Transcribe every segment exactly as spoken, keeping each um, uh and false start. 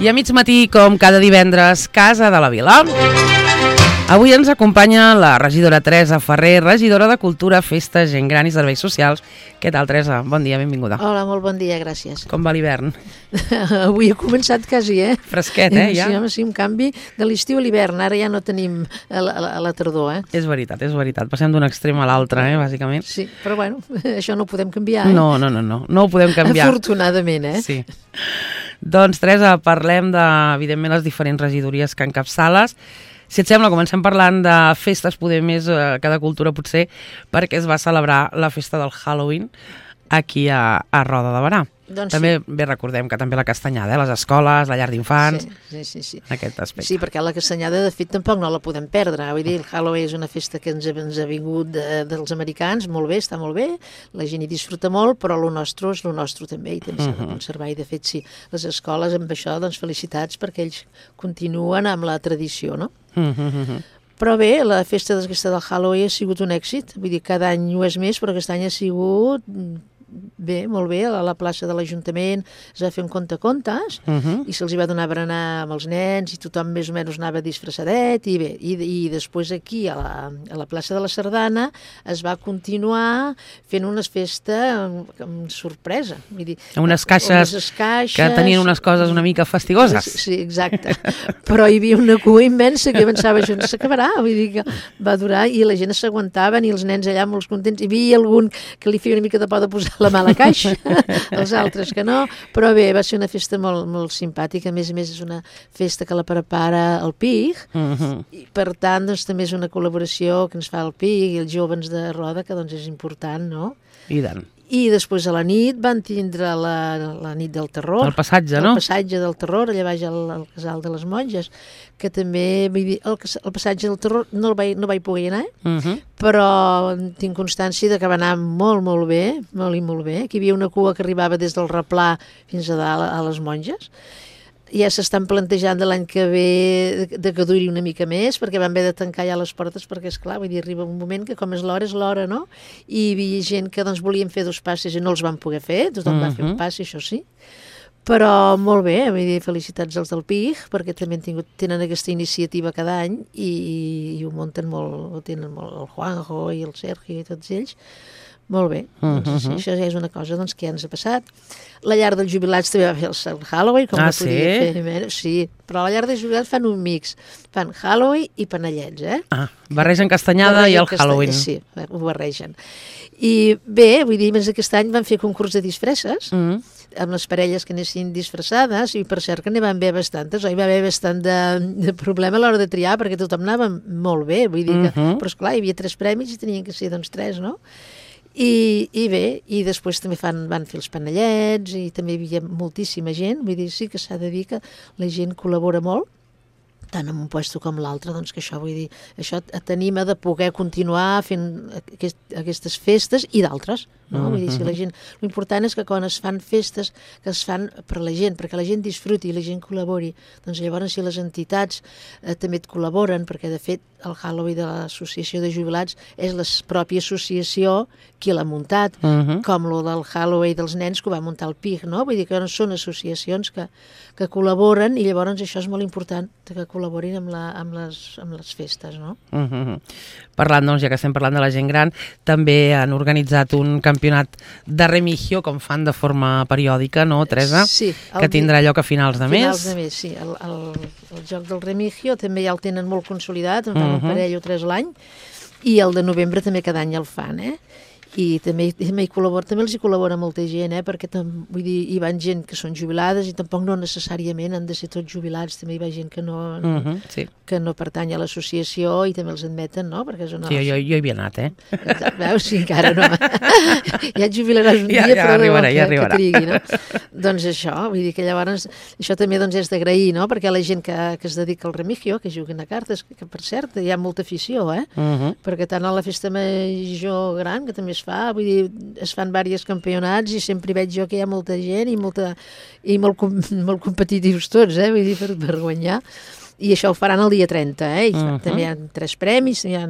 I a mig matí, com cada divendres, Casa de la Vila. Avui ens acompanya la regidora Teresa Ferrer, regidora de Cultura, Festes, Gent Gran i Serveis Socials. Què tal, Teresa? Bon dia, benvinguda. Hola, molt bon dia, gràcies. Com va l'hivern? Avui ha començat quasi, eh? Fresquet, eh, ja? Sí, home, sí, un canvi de l'estiu a l'hivern. Ara ja no tenim a la, a la tardor, eh? És veritat, és veritat. Passem d'un extrem a l'altre, eh, bàsicament. Sí, però bueno, això no ho podem canviar, eh? No, no, no, no, no ho podem canviar. Afortunadament, eh? Sí. Doncs, Teresa, parlem de, evidentment, les diferents regidories que encapçales. Si et sembla, comencem parlant de festes, poder més a cada cultura potser, perquè es va celebrar la festa del Halloween aquí a, a Roda de Berà. Doncs també, sí. Bé, recordem que també la castanyada, eh? Les escoles, la llar d'infants, sí, sí, sí, sí. aquest aspecte. Sí, perquè la castanyada, de fet, tampoc no la podem perdre. Vull dir, el Halloween és una festa que ens ha, ens ha vingut de, dels americans, molt bé, està molt bé, la gent hi disfruta molt, però el nostre és el nostre també, i també s'ha de conservar. I, de fet, sí, les escoles, amb això, doncs, felicitats, perquè ells continuen amb la tradició, no? Mm-hmm. Però bé, la festa d'aquesta del Halloween ha sigut un èxit, vull dir, cada any ho és més, però aquest any ha sigut bé, molt bé, a la plaça de l'Ajuntament es va fer un conte-contes Uh-huh. i se'ls va donar berenar amb els nens i tothom més o menys anava disfressadet i bé, i, i després aquí a la, a la plaça de la Sardana es va continuar fent una festa amb, amb sorpresa, vull dir, Unes caixes, unes caixes que tenien unes coses una mica fastigoses. Sí, exacte, però hi havia una cua immensa que pensava, això no s'acabarà, vull dir que va durar i la gent s'aguantaven i els nens allà molt contents, hi havia algun que li feia una mica de por de posar la mà a la caixa, els altres que no, però bé, va ser una festa molt, molt simpàtica, a més a més és una festa que la prepara el P I G, Uh-huh. i per tant doncs, també és una col·laboració que ens fa el P I G i els joves de Roda, que doncs és important, no? I tant. I després a la nit van tindre la, la nit del terror. El passatge, no? El passatge del terror, allà baix al, al casal de les monges, que també, vull dir, el, el passatge del terror no el vaig, no vaig poder anar, Uh-huh. però tinc constància de que va anar molt, molt bé, molt i molt bé, que hi havia una cua que arribava des del Replà fins a dalt a les monges. Ja s'estan plantejant de l'any que ve de, de que duri una mica més, perquè van haver de tancar ja les portes, perquè, esclar, vull dir, arriba un moment que com és l'hora, és l'hora, no? I hi havia gent que doncs, volien fer dos passes i no els van poder fer, tothom uh-huh. va fer un pas, això sí. Però molt bé, vull dir, felicitats als del P I G, perquè també han tingut, tenen aquesta iniciativa cada any i, i ho munten molt, ho tenen molt, el Juanjo i el Sergio i tots ells. Molt bé, doncs, Uh-huh. sí, això ja és una cosa doncs, que ja ens ha passat. La llar dels jubilats també va fer el Halloween, com Ah, no podia sí? fer menys. Sí, però a la llar dels jubilats fan un mix. Fan Halloween i panellets, eh? Ah, barregen castanyada Barregen i el castany- Halloween. Sí, ho barregen. I bé, vull dir, més aquest any van fer concurs de disfresses, Mm. amb les parelles que anessin disfressades, i per cert que n'hi van haver bastantes, oi? Va haver bastant de, de problema a l'hora de triar, perquè tothom anava molt bé, vull dir que, Mhm. però esclar, hi havia tres premis i tenien que ser doncs tres, no? I, i bé, i després també fan, van fer els panellets i també hi havia moltíssima gent, vull dir, sí que s'ha de dir que la gent col·labora molt, tant en un puesto com l'altre, doncs que això, vull dir, això t'anima de poder continuar fent aquest, aquestes festes i d'altres, no? Vull dir, si la gent... L'important és que quan es fan festes, que es fan per la gent, perquè la gent disfruti i la gent col·labori, doncs llavors si les entitats eh, també et col·laboren, perquè de fet el Halloween de l'Associació de Jubilats és la pròpia associació qui l'ha muntat, Uh-huh. com lo del Halloween dels nens que ho va muntar el P I G, no? Vull dir que són associacions que, que col·laboren i llavors això és molt important, que col·laborin amb, la, amb, les, amb les festes, no? Uh-huh. Parlant, doncs, ja que estem parlant de la gent gran, també han organitzat un campionat de remigio, com fan de forma periòdica, no, Teresa? Sí. Que tindrà lloc a finals de mes. Finals de mes, sí. El, el, el joc del remigio també ja el tenen molt consolidat, en fan Uh-huh. un parell o tres l'any, i el de novembre també cada any el fan, eh? I també, també, hi col·labora, també els hi col·labora molta gent, eh? Perquè tam, vull dir, hi van gent que són jubilades i tampoc no necessàriament han de ser tots jubilats, també hi va gent que no, Uh-huh. Sí. que no pertany a l'associació i també els admeten, no? Perquè és una... Sí, jo, jo hi havia anat, eh? Exacte, veus? Sí, encara no. Ja et jubilaràs un Ja- dia, ja però arribarà, que, ja arribarà. que trigui, no? Doncs això, vull dir que llavors això també doncs, és d'agrair, no? Perquè la gent que, que es dedica al remigio, que juguen a cartes, que, que per cert hi ha molta afició, eh? Uh-huh. Perquè tant a la festa major gran, que també es fa, vull dir, es fan diversos campionats i sempre hi veig jo que hi ha molta gent i, molta, i molt, com- molt competitius tots, eh? Vull dir, per, per guanyar. I això ho faran el dia trenta, eh? I Uh-huh. també hi ha tres premis, hi ha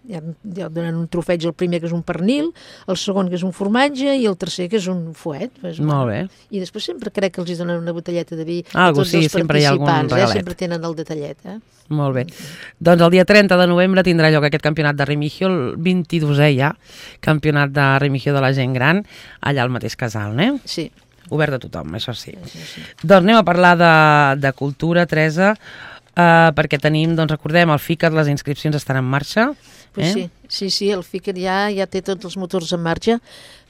ja, ja donen un trofeig el primer, que és un pernil, el segon, que és un formatge, i el tercer, que és un fuet. Pues, Molt bé. I després sempre crec que els donen una botelleta de vi ah, a tots sí, els sempre hi ha algun participants, regalet. eh? Sempre tenen el detallet. Eh? Molt bé. Doncs el dia trenta de novembre tindrà lloc aquest campionat de Remigio, el vint-i-dosè ja, campionat de Remigio de la gent gran, allà al mateix casal, eh? Sí. Obert a tothom, això sí. Sí, sí, sí. Doncs anem a parlar de, de cultura, Teresa, uh, perquè tenim, doncs recordem, el FICAT, les inscripcions estan en marxa. Pues eh? sí, sí, sí, el FICAT ja, ja té tots els motors en marxa,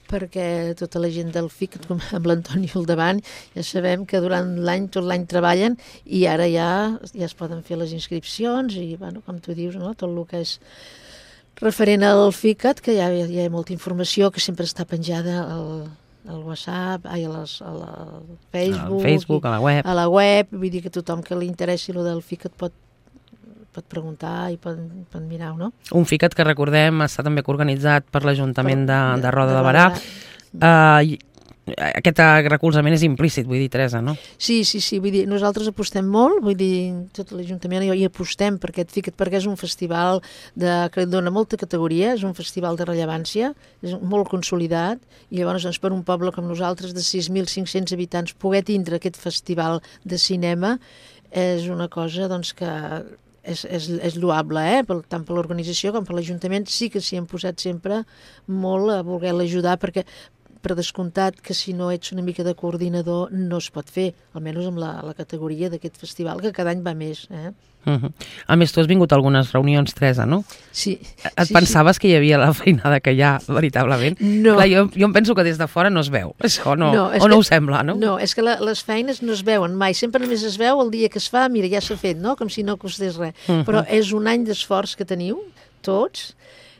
perquè tota la gent del FICAT, com amb l'Antoni al davant, ja sabem que durant l'any, tot l'any treballen, i ara ja, ja es poden fer les inscripcions, i bueno, com tu dius, no? Tot el que és referent al FICAT, que ja, ja hi ha molta informació que sempre està penjada al, al WhatsApp, ai, a, les, a la Facebook, al Facebook, i, a la web. a la web, vull dir que tothom que li interessi el del FICAT pot, pot preguntar i pot, pot mirar-ho, no? Un FICAT que recordem està també organitzat per l'Ajuntament de, de Roda de, de Barà. Barà. Uh, aquest recolzament és implícit, vull dir, Teresa, no? Sí, sí, sí, vull dir, nosaltres apostem molt, vull dir, tot l'Ajuntament hi apostem per aquest FICAT, perquè és un festival de, que dona molta categoria, és un festival de rellevància, és molt consolidat, i llavors doncs, per un poble com nosaltres de sis mil cinc-cents habitants poder tindre aquest festival de cinema és una cosa doncs, que és, és, és lloable, eh? Pel, tant per l'organització com per l'Ajuntament. Sí que s'hi han posat sempre molt a voler l'ajudar, perquè per descomptat que si no ets una mica de coordinador no es pot fer, almenys amb la, la categoria d'aquest festival, que cada any va més. Eh? Uh-huh. A més, tu has vingut a algunes reunions, Teresa, no? Sí. Et sí, pensaves sí. que hi havia la feinada que hi ha, veritablement? No. Clar, jo, jo em penso que des de fora no es veu, això no, no o que, no ho sembla, no? No, és que la, les feines no es veuen mai, sempre només es veu el dia que es fa, mira, ja s'ha fet, no? Com si no costés res. Uh-huh. Però és un any d'esforç que teniu, tots,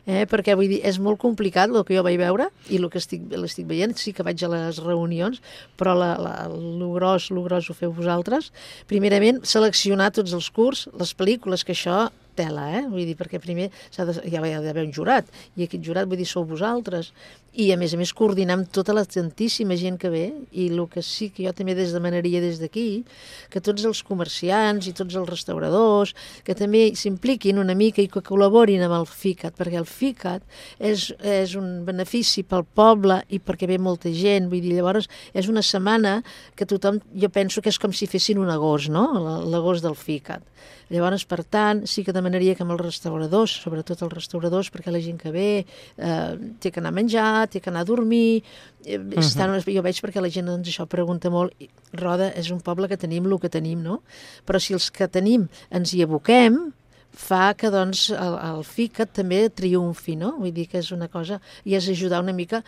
Eh, perquè vull dir, és molt complicat el que jo vaig veure i el que estic, l'estic veient, sí que vaig a les reunions, però la, la, el gros, el gros ho feu vosaltres. Primerament, seleccionar tots els curts, les pel·lícules, que això tela, eh? Vull dir, perquè primer s'ha de, ja hi ha d'haver un jurat, i aquest jurat, vull dir, sou vosaltres, i a més a més coordinar amb tota la tantíssima gent que ve, i el que sí que jo també des demanaria des d'aquí, que tots els comerciants i tots els restauradors, que també s'impliquin una mica i que col·laborin amb el FICAT, perquè el FICAT és, és un benefici pel poble i perquè ve molta gent, vull dir, llavors és una setmana que tothom, jo penso que és com si fessin un agost, no?, l'agost del FICAT. Llavors, per tant, sí que demanaria que amb els restauradors, sobretot els restauradors, perquè la gent que ve eh, té que anar a menjar, té que anar a dormir, eh, uh-huh. estan, jo veig perquè la gent doncs, això pregunta molt, Roda és un poble que tenim el que tenim, no? Però si els que tenim ens hi aboquem, fa que doncs, el, el FICAT també triomfi, no? Vull dir que és una cosa, i és ajudar una mica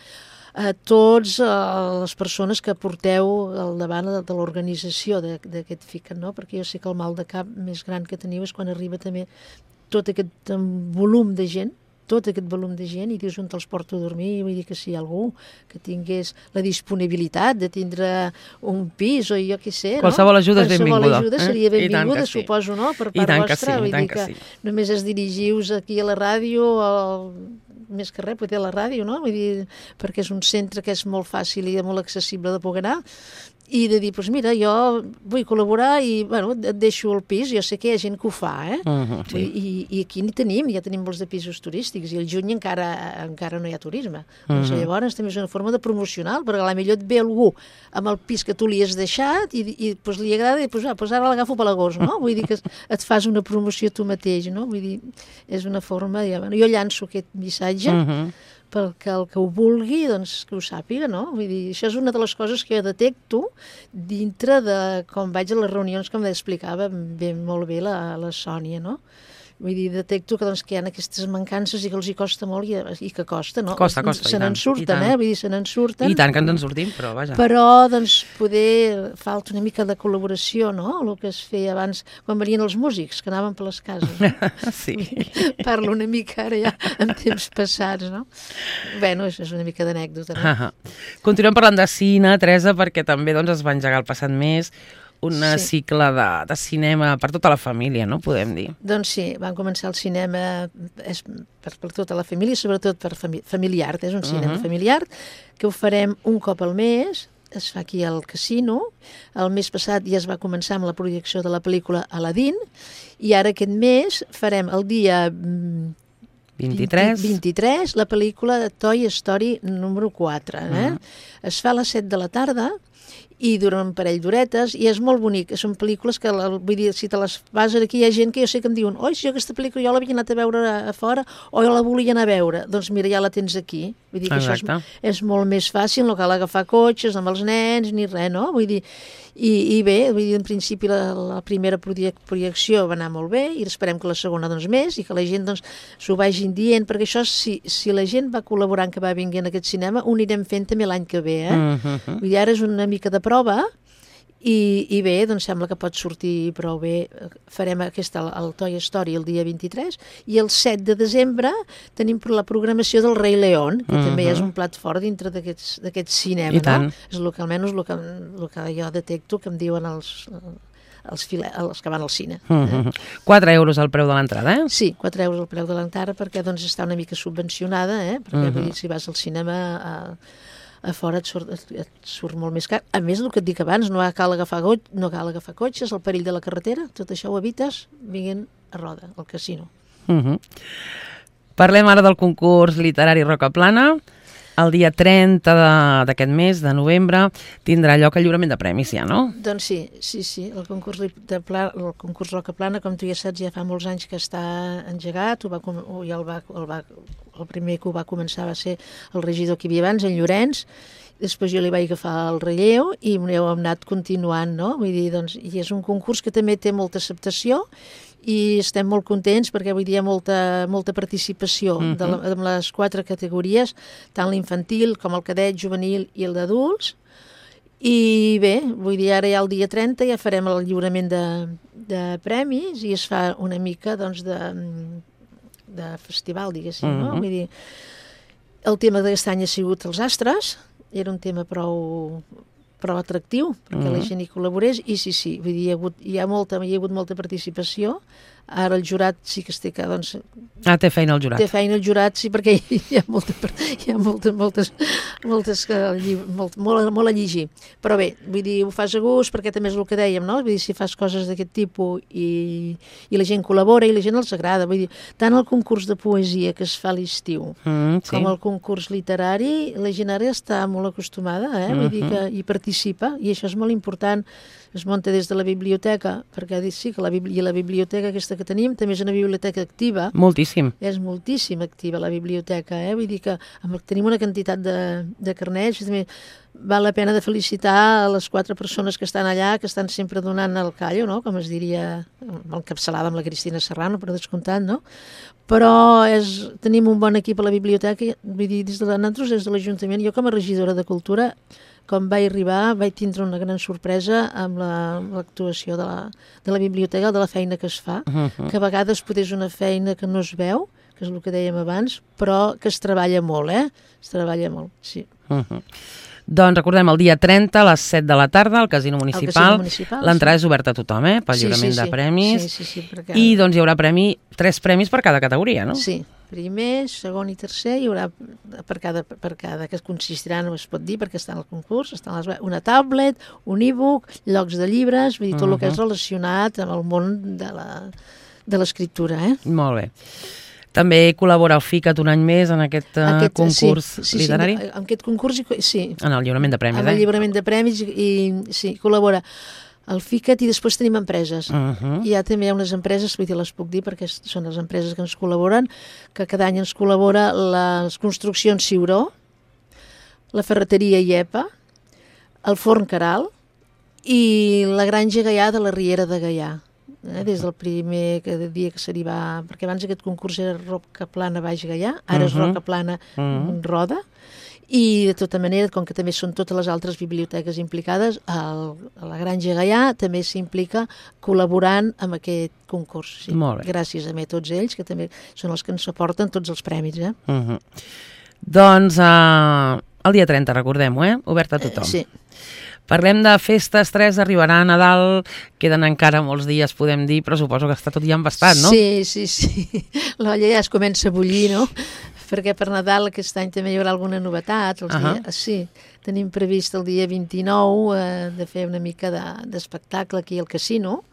a tots a les persones que porteu al davant de, de l'organització d'aquest FICAT, no? Perquè jo sé que el mal de cap més gran que teniu és quan arriba també tot aquest volum de gent, tot aquest volum de gent, i dius on te'ls porto a dormir, vull dir que si hi ha algú que tingués la disponibilitat de tindre un pis o jo què sé, no? Qualsevol ajuda és benvinguda. Qualsevol ajuda seria benvinguda, sí. Suposo, no? Per part vostra, sí, vull dir que, que sí. Només es dirigius aquí a la ràdio, al... més que res, poder a la ràdio, no? Vull dir, perquè és un centre que és molt fàcil i molt accessible de poder anar, i de dir, doncs pues mira, jo vull col·laborar i, bueno, et deixo el pis, jo sé que hi ha gent que ho fa, eh? Uh-huh, sí. I, i aquí n'hi tenim, ja tenim molts de pisos turístics, i el juny encara, encara no hi ha turisme. Uh-huh. Doncs llavors també és una forma de promocional, perquè a la millor et ve algú amb el pis que tu li has deixat i, i pues, li agrada, i pues, ah, pues ara l'agafo per l'agost, no? Vull dir que et fas una promoció tu mateix, no? Vull dir, és una forma, ja, bueno, jo llanço aquest missatge, uh-huh. perquè el que ho vulgui, doncs, que ho sàpiga, no? Vull dir, això és una de les coses que jo detecto dintre de com vaig a les reunions, com explicava ben, molt bé la, la Sònia, no? Vull dir, detecto que, doncs, que hi ha aquestes mancances i que els hi costa molt i, i que costa, no? Costa, costa, se n'en surten, eh? Vull dir, se n'en surten. I tant que ens en sortim, però vaja. Però, doncs, poder falta una mica de col·laboració, no? El que es feia abans, quan venien els músics, que anaven per les cases. No? Sí. Parlo una mica ara ja en temps passats, no? Bé, és una mica d'anècdota, no? Uh-huh. Continuem parlant de cine, Teresa, perquè també doncs, es va engegar el passat mes un sí. cicle de, de cinema per tota la família, no? Podem dir. Doncs sí, van començar el cinema és per, per tota la família, sobretot per fami familiar, és un cinema uh-huh. familiar, que ho farem un cop al mes, es fa aquí al casino. El mes passat ja es va començar amb la projecció de la pel·lícula Aladdin, i ara aquest mes farem el dia vint-i-tres. vint-i-tres, la pel·lícula de Toy Story número quatre. Eh? Mm. Es fa a les set de la tarda i dura un parell d'horetes, i és molt bonic. Són pel·lícules que, vull dir, si te les vas aquí, hi ha gent que jo sé que em diuen oi, si jo aquesta pel·lícula jo l'havia anat a veure a fora, o jo la volia anar a veure. Doncs mira, ja la tens aquí. Vull dir que Exacte. això és, és molt més fàcil, no cal agafar cotxes amb els nens, ni res, no? Vull dir, i, i bé, vull dir, en principi la, la primera projecció va anar molt bé, i esperem que la segona, doncs, més, i que la gent, doncs, s'ho vagin dient, perquè això, si, si la gent va col·laborant, que va vinguent a aquest cinema, ho anirem fent també l'any que ve, eh? Mm-hmm. Vull dir, ara és una mica de prova, i, i bé, doncs sembla que pot sortir prou bé. Farem aquesta, el Toy Story el dia vint-i-tres, i el set de desembre tenim la programació del Rei León, que uh-huh. també és un plat fort dintre d'aquest cinema. I tant. No? És el que almenys el que, el que jo detecto que em diuen els, els, file, els que van al cine. Uh-huh. Eh? quatre euros el preu de l'entrada, eh? Sí, quatre euros el preu de l'entrada, perquè doncs està una mica subvencionada, eh? Perquè uh-huh. vull dir, si vas al cinema a, a fora et surt, et surt molt més car. A més, el que et dic abans, no cal agafar, go no cal agafar cotxes, el perill de la carretera, tot això ho evites vinguent a Roda, al casino. Uh-huh. Parlem ara del concurs literari Roca Plana. El dia trenta d'aquest mes, de novembre, tindrà lloc el lliurament de premis, ja, no? Doncs sí, sí, sí. El concurs, de Pla, el concurs Roca Plana, com tu ja saps, ja fa molts anys que està engegat. Ho va, ja el, va, el, va, el primer que ho va començar va ser el regidor que hi havia abans, en Llorenç. Després jo li vaig agafar el relleu i m'heu anat continuant, no? Vull dir, doncs, i és un concurs que també té molta acceptació, i estem molt contents perquè avui dia hi ha molta, molta participació uh-huh. de la, de les quatre categories, tant l'infantil com el cadet, juvenil i el d'adults. I bé, vull dir, ara ja el dia trenta ja farem el lliurament de, de premis, i es fa una mica, doncs, de, de festival, diguéssim, uh-huh. no? Vull dir, el tema d'aquest any ha sigut els astres, era un tema prou prou atractiu, perquè uh-huh. la gent hi col·laborés, i sí, sí, vull dir, hi ha hagut, hi ha molta, hi ha hagut molta participació. Ara el jurat sí que es té que, doncs... Ah, té feina el jurat. Té feina el jurat, sí, perquè hi ha, molta, hi ha moltes, moltes, moltes que, molt, molt, molt a llegir. Però bé, vull dir, ho fas a gust, perquè també és el que dèiem, no? Vull dir, si fas coses d'aquest tipus i, i la gent col·labora i la gent els agrada, vull dir, tant el concurs de poesia que es fa a l'estiu, mm, sí. com el concurs literari, la gent ara està molt acostumada, eh? Vull dir que hi participa, i això és molt important. Es munta des de la biblioteca, perquè sí que la, bibli la biblioteca aquesta que tenim també és una biblioteca activa. Moltíssim. És moltíssim activa la biblioteca, eh? Vull dir que tenim una quantitat de, de carnets, també val la pena de felicitar a les quatre persones que estan allà, que estan sempre donant el callo, no? Com es diria, encapçalada amb la Cristina Serrano, per descomptat, no? Però és, tenim un bon equip a la biblioteca, vull dir, des de nosaltres, des de l'Ajuntament, jo com a regidora de Cultura, quan vaig arribar, vaig tindre una gran sorpresa amb l'actuació la, de, la, de la biblioteca, de la feina que es fa, uh-huh. que a vegades potser és una feina que no es veu, que és el que dèiem abans, però que es treballa molt, eh? Es treballa molt, sí. Uh-huh. Doncs recordem, el dia trenta a les set de la tarda al Casino Municipal. municipal L'entrada sí. és oberta a tothom, eh? Pel sí, lliurament sí, sí. de premis. Sí, sí, sí, perquè... I doncs hi haurà premi, tres premis per cada categoria, no? Sí, primer, segon i tercer, hi haurà per cada, per cada que consistirà, no es pot dir, perquè està en el concurs, està en les, una tablet, un e-book, llocs de llibres, vull dir, tot uh-huh. el que és relacionat amb el món de l'escriptura, eh? Molt bé. També col·labora el FICAT un any més en aquest, aquest concurs sí, sí, literari? Sí, en aquest concurs, sí. En el lliurament de premis, en eh? En el lliurament de premis, i sí, col·labora el FICAT, i després tenim empreses. Uh-huh. Hi ha també unes empreses, vull dir, les puc dir, perquè són les empreses que ens col·laboren, que cada any ens col·labora les construccions Ciuró, la ferreteria Iepa, el forn Caral i la granja Gaià de la Riera de Gaià. Eh, des del primer dia que se n'hi va, perquè abans aquest concurs era Roca Plana Baix Gaià, ara uh-huh. és Roca Plana uh-huh. Roda, i de tota manera, com que també són totes les altres biblioteques implicades, el, la Granja Gaià també s'implica col·laborant amb aquest concurs. Sí. Molt bé. Gràcies a mi, tots ells, que també són els que ens aporten tots els premis. Eh? Uh-huh. Doncs uh, el dia trenta, recordem-ho, eh? Obert a tothom. Eh, sí. Parlem de festes, tres, arribarà Nadal, queden encara molts dies, podem dir, però suposo que està tot ja embastat, no? Sí, sí, sí. L'olla ja es comença a bullir, no? Perquè per Nadal aquest any també hi haurà alguna novetat. Els uh-huh. dies, sí, tenim previst el dia vint-i-nou eh, de fer una mica d'espectacle de, aquí al casino,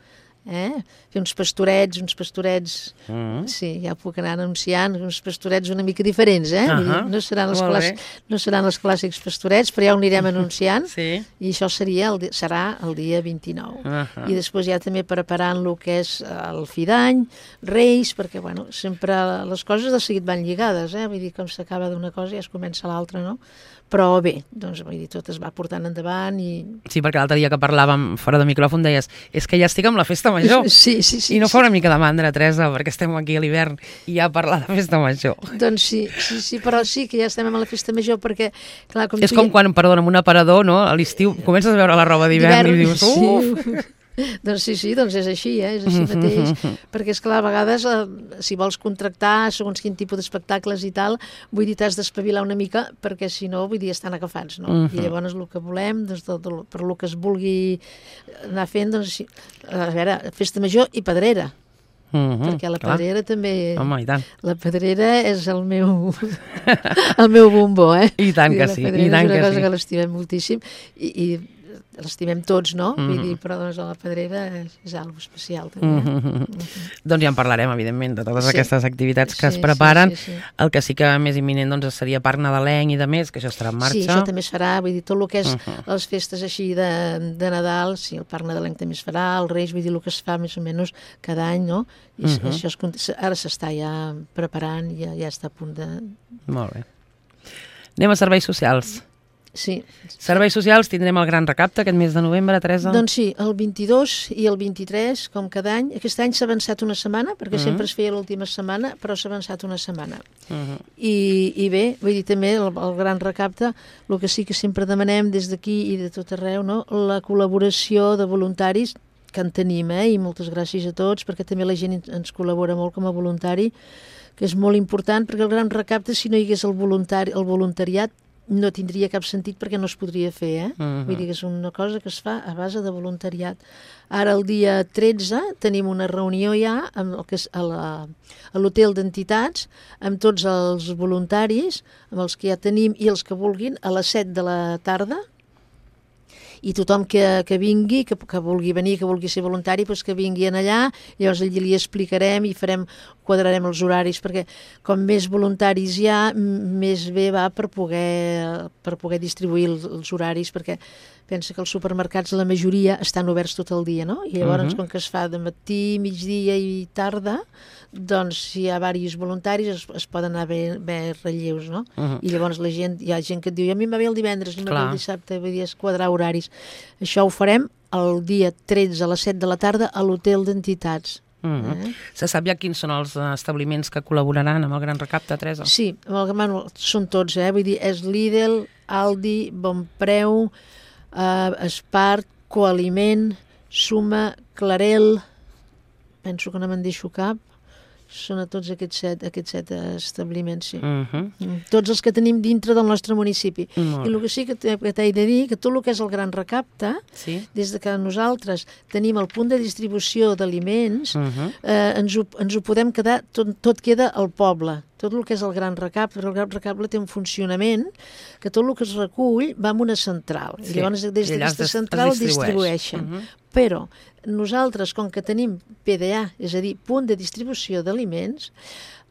eh? Fer uns pastorets, uns pastorets, Mm. sí, ja ho puc anar anunciant, uns pastorets una mica diferents, eh? Vull dir, Ahà, no seran els molt clàssics, bé. no seran els clàssics pastorets, però ja ho anirem anunciant, Sí. i això seria el, di- serà el dia vint-i-nou. Ahà. I després ja també preparant el que és el fi d'any, Reis, perquè, bueno, sempre les coses de seguit van lligades, eh? Vull dir, com s'acaba d'una cosa ja es comença l'altra, no? Però bé, doncs, vull dir, tot es va portant endavant i... Sí, perquè l'altre dia que parlàvem fora de micròfon deies és que ja estic amb la festa major. Sí, sí, sí. I no sí. fa una mica de mandra, Teresa, perquè estem aquí a l'hivern i ja parlar de festa major. Doncs sí, sí, sí, però sí que ja estem a la festa major perquè, clar, com És tu com ja... quan, perdona, amb un aparador, no? A l'estiu comences a veure la roba d'hivern i dius, uf! Sí. Doncs sí, sí, doncs és així, eh? És així mateix, perquè és clar, a vegades eh, si vols contractar segons quin tipus d'espectacles i tal, vull dir, t'has d'espavilar una mica perquè si no, vull dir, estan agafats, no? Uh -huh. I llavors el que volem, doncs, tot, tot, per lo que es vulgui anar fent, doncs, sí, a veure, festa major i pedrera, Uh -huh, perquè la clar. pedrera també... Home, i tant. La pedrera és el meu, el meu bombó, eh? I tant que la sí, pedrera i tant és una que cosa sí. que l'estimem moltíssim i, i l'estimem tots, no? Mm. Vull dir, però doncs la pedrera és, és algo especial, també. Mm Eh? -hmm. Doncs ja en parlarem, evidentment, de totes Sí. aquestes activitats que Sí, es preparen. sí, sí, sí. El que sí que més imminent doncs, seria Parc Nadalenc i de més, que això estarà en marxa. Sí, això també es farà, vull dir, tot el que és Uh -huh. les festes així de, de Nadal, sí, el Parc Nadalenc també es farà, el Reis, vull dir, el que es fa més o menys cada any, no? I Uh -huh. això es, ara s'està ja preparant, ja, ja està a punt de... Molt bé. Anem a serveis socials. Sí. Serveis socials, tindrem el gran recapte aquest mes de novembre, Teresa? Doncs sí, el vint-i-dos i el vint-i-tres, com cada any. Aquest any s'ha avançat una setmana, perquè Uh -huh. sempre es feia l'última setmana, però s'ha avançat una setmana. Uh -huh. I, I bé, vull dir també, el, el gran recapte, el que sí que sempre demanem des d'aquí i de tot arreu, no? La col·laboració de voluntaris, que en tenim, eh? I moltes gràcies a tots, perquè també la gent ens col·labora molt com a voluntari, que és molt important, perquè el gran recapte, si no hi hagués el, voluntari, el voluntariat, no tindria cap sentit perquè no es podria fer, eh? Uh-huh. Vull dir que és una cosa que es fa a base de voluntariat. Ara, el dia tretze, tenim una reunió ja amb el que és a, la, a l'hotel d'entitats, amb tots els voluntaris, amb els que ja tenim i els que vulguin, a les set de la tarda, i tothom que, que vingui, que, que vulgui venir, que vulgui ser voluntari, doncs que vingui allà, llavors allí li explicarem i farem, quadrarem els horaris, perquè com més voluntaris hi ha, més bé va per poder, per poder distribuir els, els horaris, perquè pensa que els supermercats, la majoria, estan oberts tot el dia, no? I llavors, uh-huh. com que es fa de matí, migdia i tarda, doncs si hi ha diversos voluntaris es, es poden anar bé, bé relleus, no? Uh-huh. I llavors la gent, hi ha gent que et diu, a mi em va bé el divendres, a mi em va bé el dissabte, vull dir, es quadrar horaris. Això ho farem el dia tretze a les set de la tarda a l'hotel d'entitats. Uh-huh. Eh? Se sap ja quins són els establiments que col·laboraran amb el gran recapte, Teresa? Sí, amb el Manu, són tots, eh? Vull dir, és Lidl, Aldi, Bonpreu, Uh, Espart, Coaliment, Suma, Clarel, penso que no me'n deixo cap, són a tots aquests set, aquests set establiments, sí. Uh-huh. Tots els que tenim dintre del nostre municipi. Uh-huh. I el que sí que t'he de dir, que tot el que és el gran recapte, sí. Des de que nosaltres tenim el punt de distribució d'aliments, uh-huh. eh, ens, ho, ens ho podem quedar, tot, tot queda al poble. Tot el que és el gran recapte, el gran recapte té un funcionament que tot el que es recull va a una central. Sí. I llavors des d'aquesta central es distribueixen. Uh-huh. Però nosaltres, com que tenim P D A, és a dir, punt de distribució d'aliments,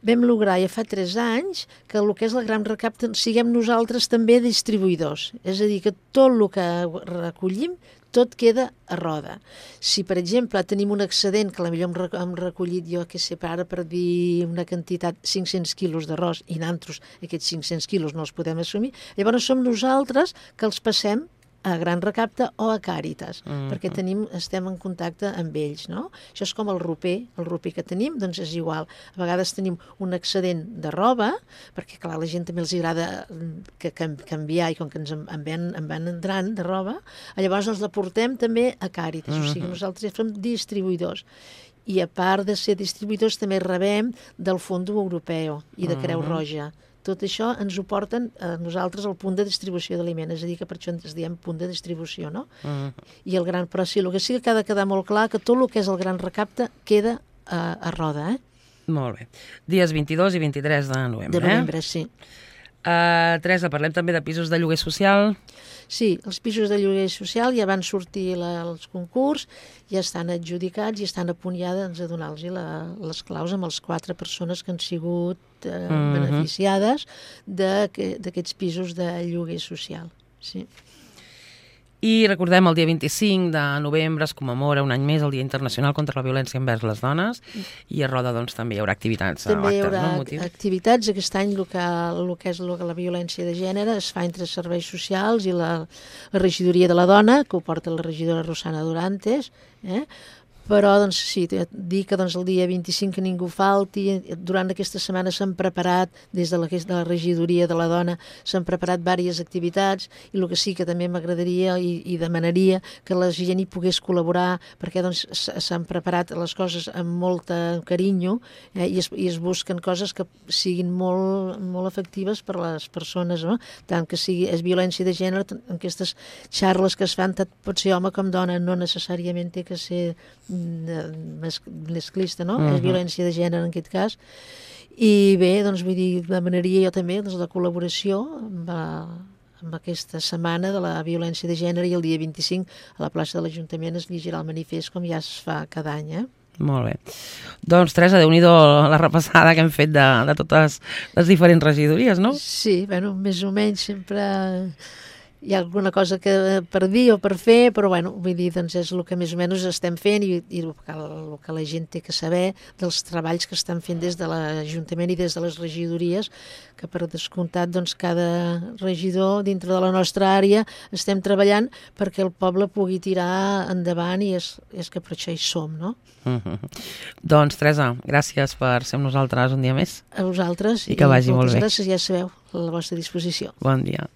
vam lograr ja fa tres anys que el que és el gran recapte siguem nosaltres també distribuïdors. És a dir, que tot el que recollim tot queda a roda. Si, per exemple, tenim un excedent, que potser hem recollit jo, que sé, ara per dir una quantitat, cinc-cents quilos d'arròs, i nosaltres aquests cinc-cents quilos no els podem assumir, llavors som nosaltres que els passem a Gran Recapte o a Càritas, mm-hmm. perquè tenim, estem en contacte amb ells, no? Això és com el roper, el roper que tenim, doncs és igual. A vegades tenim un excedent de roba, perquè clar, a la gent també els agrada que, que, canviar, i com que ens en, en, van, en van entrant de roba, llavors ens la portem també a Càritas, mm-hmm. o sigui, nosaltres som distribuïdors. I a part de ser distribuïdors també rebem del Fons Europeu i de Creu Roja. Tot això ens ho porten a nosaltres al punt de distribució d'aliments, és a dir, que per això ens diem punt de distribució, no? Uh-huh. I el gran, però sí, el que sí que ha de quedar molt clar que tot el que és el gran recapte queda a, a roda, eh? Molt bé. Dies vint-i-dos i vint-i-tres de novembre, De novembre, eh? sí. Uh, Teresa, parlem també de pisos de lloguer social. Sí, els pisos de lloguer social ja van sortir la, els concurs, ja estan adjudicats i estan a punt ja doncs, a donar-los les claus amb les quatre persones que han sigut eh, mm-hmm. beneficiades d'aquests pisos de lloguer social. Sí. I recordem, el dia vint-i-cinc de novembre es commemora un any més el Dia Internacional contra la Violència envers les Dones i a Roda doncs, també hi haurà activitats. També hi haurà no? activitats. Aquest any el que, el que és la violència de gènere es fa entre serveis socials i la, la regidoria de la dona, que ho porta la regidora Rosana Durantes, eh? Però, doncs, sí, dir que doncs, el dia vint-i-cinc que ningú falti, durant aquesta setmana s'han preparat, des de la, de la regidoria de la dona, s'han preparat diverses activitats, i el que sí que també m'agradaria i, i demanaria que la gent hi pogués col·laborar, perquè doncs, s'han preparat les coses amb molt carinyo, eh, i, es, i es busquen coses que siguin molt, molt efectives per a les persones, no? Tant que sigui és violència de gènere, en aquestes xarles que es fan, tant pot ser home com dona, no necessàriament té que ser masclista, no? Uh-huh. És violència de gènere en aquest cas. I bé, doncs vull dir, demanaria jo també doncs, la col·laboració amb, amb aquesta setmana de la violència de gènere, i el dia vint-i-cinc a la plaça de l'Ajuntament es llegirà el manifest com ja es fa cada any, eh? Molt bé. Doncs, Teresa, déu-n'hi-do la repassada que hem fet de, de totes les diferents regidories, no? Sí, bueno, més o menys sempre hi ha alguna cosa que per dir o per fer, però bueno, vull dir, doncs és el que més o menys estem fent, i, i el, que, el que la gent té que saber dels treballs que estan fent des de l'Ajuntament i des de les regidories, que per descomptat doncs cada regidor dintre de la nostra àrea estem treballant perquè el poble pugui tirar endavant, i és, és que per això hi som, no? Uh-huh. Doncs, Teresa, gràcies per ser amb nosaltres un dia més. A vosaltres, i que vagi molt bé. Moltes gràcies, ja sabeu, a la vostra disposició. Bon dia.